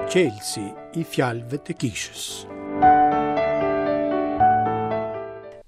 Çelësi i fjalëve të kishës.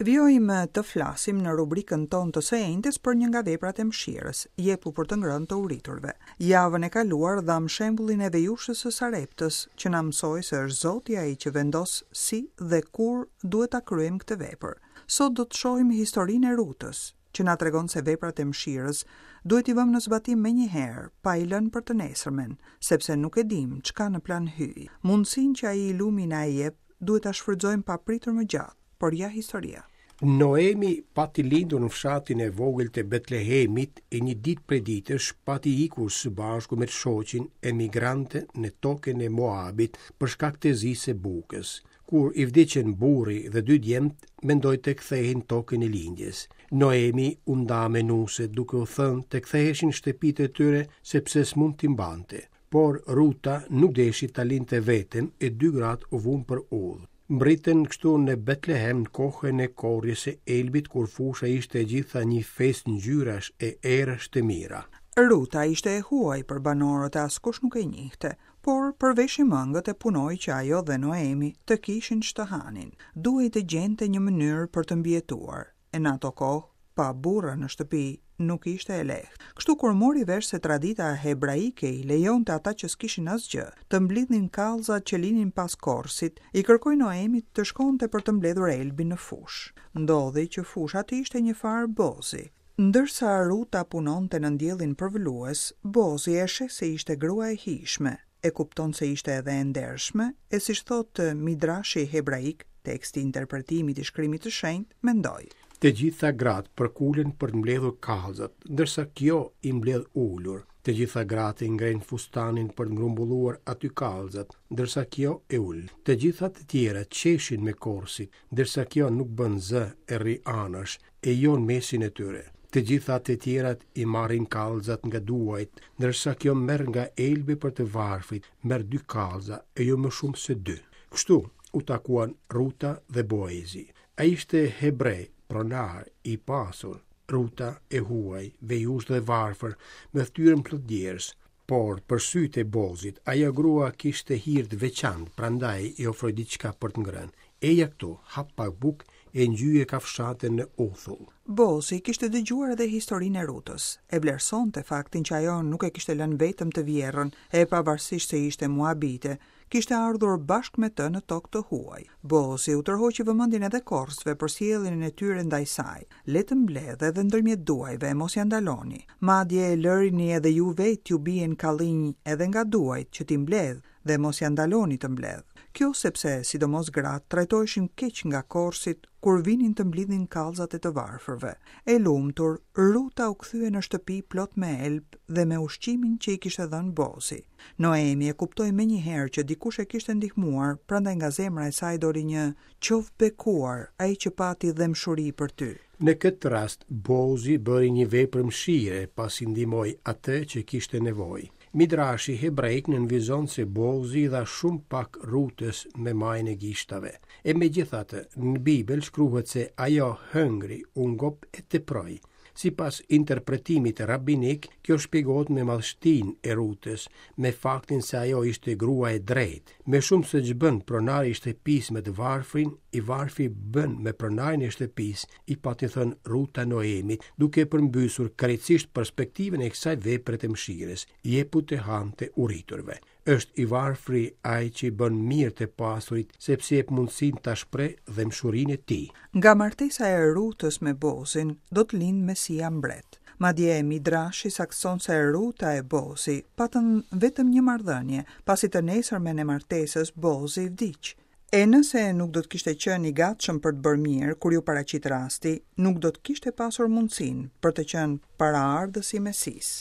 Vijojmë të flasim në rubrikën tonë të së enjtes për një nga veprat e mëshirës, jepu për të ngrënë të uriturve. Javën e kaluar dhamë shembullin e vejushës së Sareptës, që na mësoi se është Zoti ai që vendos si dhe kur duhet ta kryejmë këtë vepër. Sot do të shohim historinë e Rutës, që na tregon se veprat e mëshirës duhet t'i vëmë në zbatim menjëherë, pa i lënë për të nesërmen, sepse nuk e dimë ç'ka në plan Hyji. Mundësinë që ai i lumi na e jep, duhet ta shfrytëzojmë pa pritur më gjatë, por ja historia. Noemi pati lindur në fshatin e vogël të Betlehemit e një ditë prej ditësh pati ikur së bashku me të shoqin emigrante në tokën e Moabit për shkak të zisë së bukës. Kur i vdiqën burri dhe dy djemtë, mendoi të kthehej në tokën e lindjes. Noemi u nda me nuset duke u thënë të ktheheshin në shtëpitë e tyre sepse s'mund t'i mbante. Por Ruta nuk deshi ta linte vetëm e dy gratë u vunë për udhë. Mbërritën kështu në Betlehem në kohën e korrjes së elbit kur fusha ishte e gjitha një festë ngjyrash e erësh të mira. Ruta ishte e huaj për banorët e askush nuk e njihte. Por përveshi mëngët e punoi që ajo dhe Noemi të kishin ç'të hanin. Duhej të gjente një mënyrë për të mbijetuar, e në ato kohë, pa burra në shtëpi, nuk ishte e lehtë. Kështu kur mori vesh se tradita hebraike i lejonte ata që s'kishin asgjë, të mblidhnin kallzat që linin pas korrësit, i kërkoi Noemit të shkonte për të mbledhur elbin në fushë. Ndodhi që fusha të ishte një farë Bozi. Ndërsa Ruta punonte nën diellin përvëlues, Bozi e sheh se ishte grua e hijshme, e kupton se ishte edhe e ndershme, e siç thotë Midrashi hebraik, teksti i interpretimit i Shkrimit të Shenjtë, mendoi. Të gjitha gratë përkulen për të mbledhur kallzat, ndërsa kjo i mbledh ulur. Të gjitha gratë e ngrenë fustanin për të grumbulluar aty kallzat, ndërsa kjo e ul. Të gjitha të tjerat qeshin me korrësit, ndërsa kjo nuk bën zë e rri anash, e jo në mesin e tyre. Të gjitha të tjerat i marrin kallzat nga duajt, ndërsa kjo merr nga elbi për të varfrit, merr dy kallza e jo më shumë se dy. Kështu u takuan Ruta dhe Boezi. Ai ishte hebre, pronar, i pasur, Ruta e huaj, vejushë dhe e varfër, me fytyrën plot djersë. Por, për sytë e Bozit, ajo grua kishte hir të veçantë, prandaj i ofroi diçka për të ngrënë. Eja këtu, ha pak bukë e ngjyje kafshatën në uthull. Bozi kishte dëgjuar edhe historinë e Rutës. E vlerësonte faktin që ajo nuk e kishte lënë vetëm të vjerrën, e pavarësisht se ishte moabite, kishte ardhur bashkë me të në tokë të huaj. Bozi u tërhoqi vëmendjen edhe korrësve për sjelljen e tyre ndaj saj. Le të mbledhë edhe ndërmjet duajve e mos ia ndaloni. Madje lërini edhe ju vetë t'ju bien kallinj edhe nga duajt që t'i mbledhë dhe mos ia ndaloni të mbledhë. Kjo sepse, sidomos gratë, trajtoheshin keq nga korrësit kur vinin të mblidhnin kallzat e të varfërve. E lumtur, Ruta u kthye në shtëpi plot me elb dhe me ushqimin që i kishte dhënë Bozi. Noemi e kuptoi menjëherë që dikush e kishte ndihmuar, prandaj nga zemra e saj doli një Qoftë bekuar ai që pati dhembshuri për ty. Në këtë rast, Bozi bëri një vepër mëshire, pasi ndihmoi atë që kishte nevojë. Midrashi hebraik nënvizon se Bozi i dha shumë pak Rutës me majën e gishtave. E megjithatë, në Bibël shkruhet se ajo hëngri, u ngop e teproi. Sipas interpretimit rabinik, kjo shpjegohet me madhështinë e Rutës, me faktin se ajo ishte grua e drejtë. Më shumë se ç'bën pronari i shtëpisë me të varfrin, i varfri bën me pronarin e shtëpisë, i pati thënë Ruta Noemit, duke përmbysur krejtësisht perspektivën e kësaj vepre të mëshirës, jepu të hanë të uriturve. Është i varfri ai që i bën mirë të pasurit, sepse i jep mundësinë ta shprehë dhembshurinë e tij. Nga martesa e Rutës me Bozin do të lindë Mesia mbret. Madje Midrashi saktëson se Ruta e Bozi patën vetëm një marrëdhënie, pasi të nesërmen e martesës Bozi vdiq. E nëse nuk do të kishte qenë i gatshëm për të bërë mirë kur iu paraqit rasti, nuk do të kishte pasur mundësinë për të qenë paraardhës i Mesisë.